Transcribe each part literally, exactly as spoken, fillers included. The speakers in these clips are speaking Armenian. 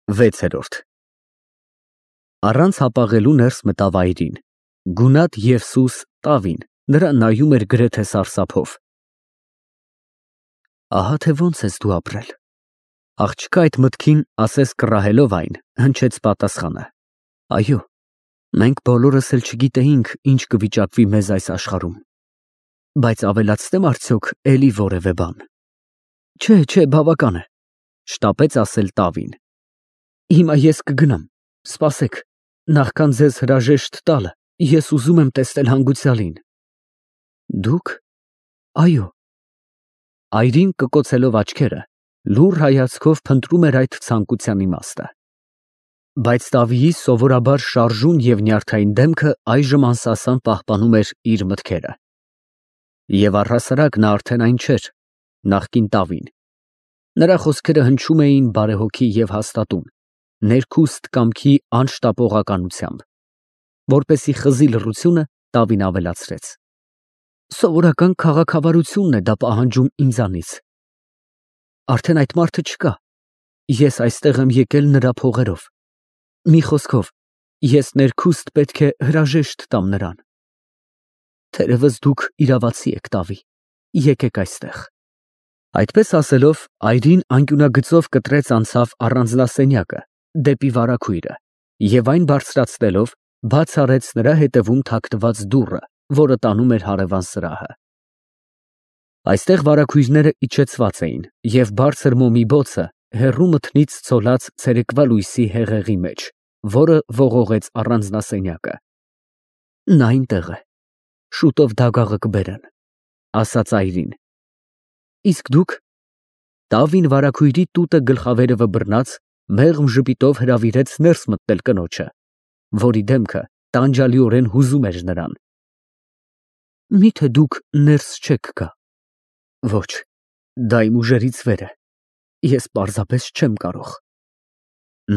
վեցերորդ Առանց հապաղելու ներս մտավ այրին, գունատ և սուս տավին, նրան նայում էր գրեթե սարսափով։ Ահա թե ոնց ես դու ապրել։ Աղջկա այդ մտքին, ասես կռահելով այն, հնչեց պատասխանը. Այո, մենք բոլորս էլ չգիտեինք, ինչ կվիճակվի մեզ այս աշխարհում։ Բայց ավելացնեմ արդյոք էլի որևէ բան։ Չէ, չէ, բավական է, շտապեց ասել տավին։ Հիմա ես կգնամ, սպասեք, նախքան ձեզ հրաժեշտ տալը, ես ուզում եմ տեսնել հանգուցյալին։ Դուք։ Այո։ Այրին կկոցելով աչքերը, լուռ հայացքով փնտրում էր այդ ցանկության իմաստը։ Բայց Տավիի սովորաբար շարժուն և նյարդային դեմքը այժմ անսասան պահպանում էր իր մտքերը։ Եվ առհասարակ նա արդեն այն չէր, նախկին Տավին։ Նրա խոսքերը հնչում էին բարեհոգի և հաստատուն, ներքուստ կամքի անշտապողականությամբ։ Որպեսզի խզի լռությունը, Տավին ավելացրեց. Սովորական քաղաքավարությունն է դա պահանջում ինձանից։ Արդեն այդ մարդը չկա։ Ես այստեղ եմ եկել նրա փողերով։ Մի խոսքով, ես ներքուստ պետք է հրաժեշտ տամ նրան։ Թերևս դուք իրավացի եք, Տավի, եկեք այստեղ։ Այդպես ասելով, այրին անկյունագծով կտրեց անցավ առանձնասենյակը, դեպի վարագույրը, և այն բարձրացնելով, բաց արեց նրա հետևում թաքնված դուռը, որը տանում էր հարևան սրահը։ Այստեղ վարագույրները իջեցված էին, և բարձր մոմի բոցը հեռու մթնից ցոլած ցերեկվա լույսի հեղեղի մեջ, որը ողողեց առանձնասենյակը։ Նա այնտեղ է, շուտով դագաղը կբերեն, ասաց այրին։ Իսկ դուք։ Տավին վարագույրի տուտը գլխավերևը բռնած, մեղմ ժպիտով հրավիրեց ներս մտնել կնոջը, որի դեմքը տանջալիորեն հուզում էր նրան։ Միթե դուք ներս չեք գա։ Ոչ, դա իմ ուժերից վեր է, ես պարզապես չեմ կարող։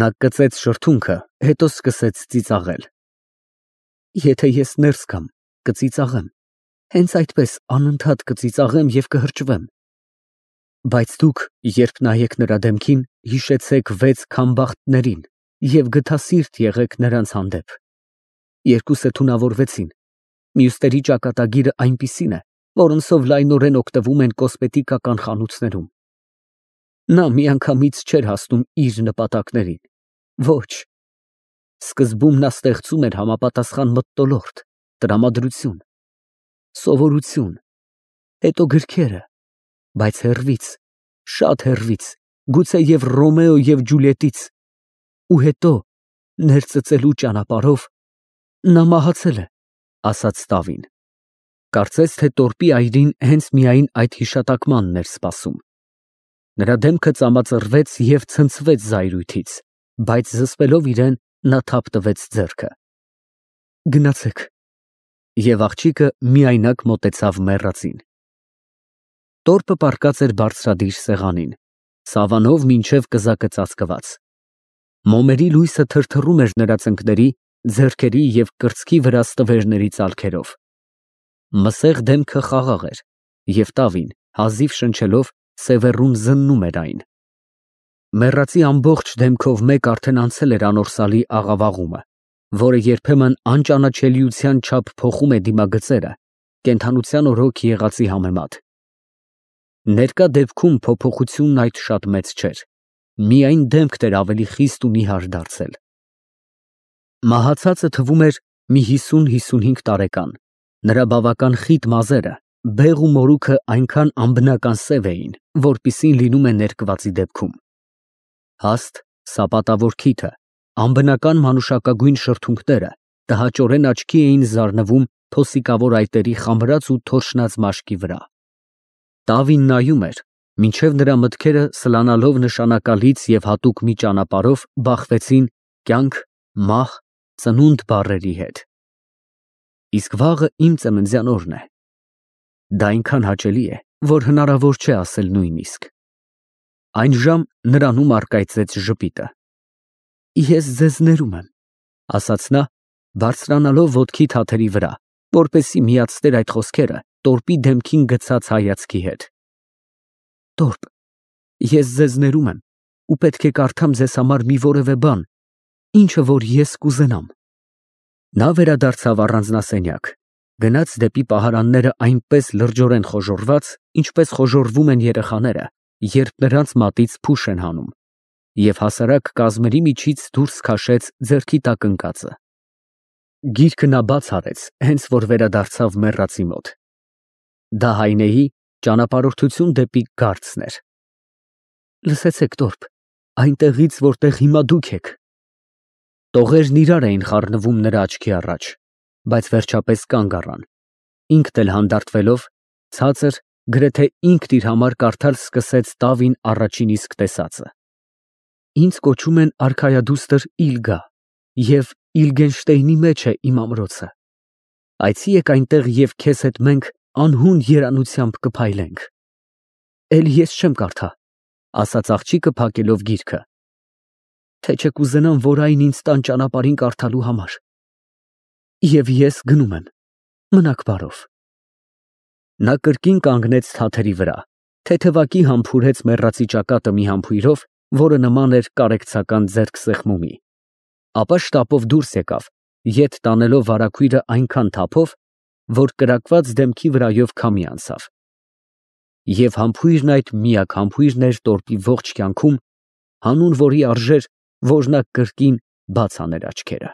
Նա կծեց շրթունքը, հետո սկսեց ծիծաղել։ Եթե ես ներս գամ, կծիծաղեմ, հենց այդպես անընդհատ կծիծաղեմ և կհրճվեմ։ Բայց դուք, երբ նայեք նրա դեմքին, հիշեցեք վեց քամբախտներին և գթասիրտ եղեք նրանց հանդեպ։ Երկուսը թունավորվեցին, մյուսների ճակատագիրը այնպիսին է, որոնցով լայնորեն օգտվում են կոսմետիկական խանութներում։ Նա միանգամից չէր հասնում իր նպատակներին։ Ոչ։ Սկզբում նա ստեղծում էր համապատասխան մթնոլորտ, տրամադրություն, սովորություն, հետո գրքերը, բայց հեռվից, շատ հեռվից, գուցեև Ռոմեո և Ջուլիետից, ու հետո ներծծելու ճանապարհով նա մահացել է, ասաց Տավին։ Կարծես թե տորպի այրին հենց միայն այդ հիշատակմանն էր սպասում։ Նրա դեմքը ծամածռվեց և ցնցվեց զայրույթից, բայց զսպելով իրեն, նա թափ տվեց ձեռքը։ Գնացեք։ Եվ աղջիկը միայնակ մոտեցավ մեռածին։ Տորպը պառկած էր բարձրադիր սեղանին, սավանով մինչև կզակը ծածկված։ Մոմերի լույսը թրթռում էր նրա ծնկների, ձեռքերի և կրծքի վրա ստվերների ծալքերով։ Մսեղ դեմքը խաղաղ էր, և Տավին, հազիվ շնչելով, սևեռուն զննում էր այն։ Մեռածի ամբողջ դեմքով մեկ արդեն անցել էր անորսալի աղավաղումը, որը երբեմն անճանաչելիության չափ փոխում է դիմագծերը, կենդանության օրոք եղածի համեմատ։ Ներկա դեպքում փոփոխությունն այդ շատ մեծ չէր, միայն դեմքն էր ավելի խիստ ու նիհար դարձել։ Մահացածը թվում էր մի հիսուն֊հիսունհինգ տարեկան, նրա բավական խիտ մազերը, բեղ ու մորուքը այնքան անբնական սև էին, որպիսին լինում է ներկվածի դեպքում։ Հաստ, սապատավոր քիթը, անբնական մանուշակագույն շրթունքները տհաճորեն աչքի էին զարնվում փոսիկավոր այտերի խամրած ու թորշնած մաշկի վրա։ Տավին նայում էր, մինչև նրա մտքերը սլանալով նշանակալից և հատուկ մի ճանապարհով բախվեցին կյանք, մահ, ծնունդ բառերի հետ։ Իսկ վաղը իմ ծննդյան օրն է։ Դա այնքան հաճելի է, որ հնարավոր չէ ասել նույնիսկ։ Այն ժամ նրանում առկայծեց ժպիտը։ Ես ձեզ ներում եմ, ասաց նա, բարձրանալով ոտքի թաթերի վրա, որպեսզի միացներ այդ խոսքերը տորպի դեմքին գցած հայացքի հետ։ Տորպ, ես ձեզ ներում եմ, ու պետք է կարդամ ձեզ համար մի որևէ բան, ինչը որ ես կուզենամ։ Նա վերադարձավ առանձնասենյակ, գնաց դեպի պահարանները այնպես լրջորեն խոժոռված, ինչպես խոժոռվում են երեխաները, երբ նրանց մատից փուշ են հանում, և հասարակ կազմերի միջից դուրս քաշեց ձեռքի տակ ընկածը։ Գիրքը նա բաց արեց, հենց որ վերադարձավ մեռածի մոտ։ Դա Հայնեի ճանապարհորդություն դեպի Գարցն էր։ Լսեցեք, տորփ, այնտեղից, որտեղ հիմա դուք եք։ Տողերն իրար էին խառնվում նրա աչքի առաջ, բայց վերջապես կանգ առան։ Ինքն էլ հանդարտվելով, ցածր, գրեթե ինքն իր համար կարդալ սկսեց Տավին առաջին իսկ տեսածը։ Ինձ կոչում են արքայադուստր Իլգա, և Իլգենշտեյնի մեջ է իմ ամրոցը։ Այցի եք այնտեղ և քեզ հետ մենք անհուն երանությամբ կփայլենք։ Էլ ես չեմ կարդա, ասաց աղջիկը փակելով գիրքը, թե չէ կուզենամ, որ այն ինձ տան ճանապարհին կարդալու համար։ Եվ ես գնում եմ, մնաք բարով։ Նա կրկին կանգնեց թաթերի վրա, թեթևակի համբուրեց մեռածի ճակատը մի համբույրով, որը նման էր կարեկցական ձեռքսեղմումի, ապա շտապով դուրս եկավ, ետ տանելով վարագույրը այնքան թափով, որ կրակված դեմքի վրայով քամի անցավ։ Եվ համբույրն այդ միակ համբույրն էր տորպի ողջ կյանքում, հանուն որի արժեր, որ նա կրկին բաց աներ աչքերը։